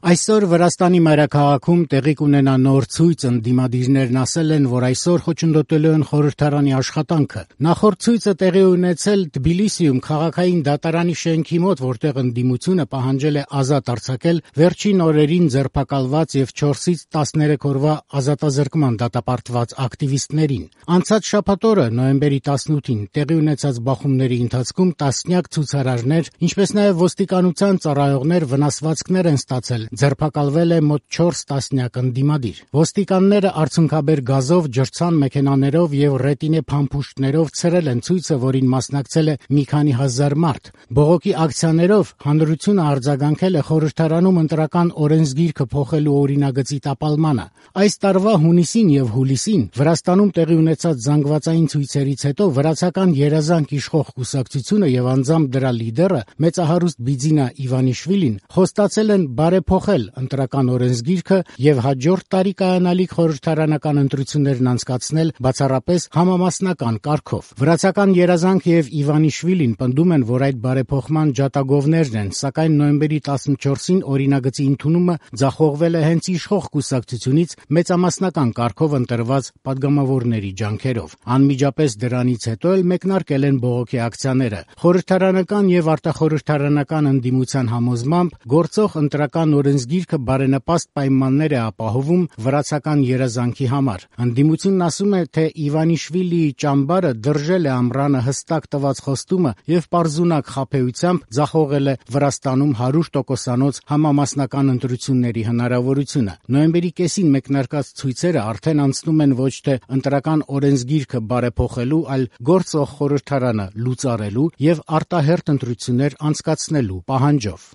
Այսօր Վրաստանի մայրաքաղաքում տեղի կունենա նոր ցույց, ընդդիմադիրներն ասել են, որ այսօր խոչընդոտելու են խորհրդարանի աշխատանքը։ Նախորդ ցույցը տեղի ունեցել Թբիլիսիում քաղաքային դատարանի շենքի մոտ, որտեղ ընդդիմությունը պահանջել է ազատ արձակել վերջին օրերին ձերբակալված եւ 4-ից 13 օրվա ազատազրկման դատապարտված ակտիվիստներին։ Անցած շաբաթ օրը, նոյեմբերի 18-ին, տեղի ունեցած բախումների ընթացքում տասնյակ ցուցարարներ, ինչպես նաեւ ոստիկանության ծառայողներ վնասվածքներ են ստացել։ Ձերբակալվել է մոտ 4 տասնյակ ընդդիմադիր։ Ոստիկանները արցունքաբեր գազով, ջրցան մեքենաներով եւ ռետինե փամփուշտներով ցրել են ցույցը, որին մասնակցել է մի քանի հազար մարդ։ Բողոքի ակցիաներով հանրությունը արձագանքել է խորհրդարանում ընտրական օրենսգիրքը փոխելու օրինագծի տապալմանը։ Այս տարվա հունիսին եւ հուլիսին Վրաստանում տեղի ունեցած զանգվածային ցույցերից հետո վրացական երազանք իշխող կուսակցությունը եւ անձամբ դրա լիդերը մեծահարուստ Բիձինա Իվանիշվիլին խոստացել են բարեփոխել ընտրական օրենսգիրքը եւ հաջորդ տարի կայանալիք խորհրդարանական ընտրություններն անցկացնել բացառապես համամասնական կարգով։ Վրացական երազանք եւ Իվանիշվիլին պնդում են, որ այդ բարեփոխման ջատագովներն են, սակայն նոյեմբերի 14-ին օրինագծի ընդունումը ձախողվել է հենց իշխող կուսակցությունից մեծամասնական կարգով ընտրված падգամավորների ջանքերով։ Անմիջապես դրանից հետո էլ մեկնարկել են բողոքի ակցիաները։ Խորհրդարանական եւ արտախորհրդարանական ընդդիմության համոզմամբ գործող ընտրական օրենսգիրքը բարենպաստ պայմաններ է ապահովում վրացական երազանքի համար։ Ընդդիմությունն ասում է, թե Իվանիշվիլիի ճամբարը դրժել է ամռանը հստակ տված խոստումը եւ պարզունակ խաբեությամբ ձախողել է Վրաստանում 100%-անոց համամասնական ընտրությունների հնարավորությունը։ Նոյեմբերի կեսին մեկնարկած ցույցերը արդեն անցնում են ոչ թե ընտրական օրենսգիրքը բարեփոխելու, այլ գործող խորհրդարանը լուծարելու եւ արտահերթ ընտրություններ անցկացնելու պահանջով։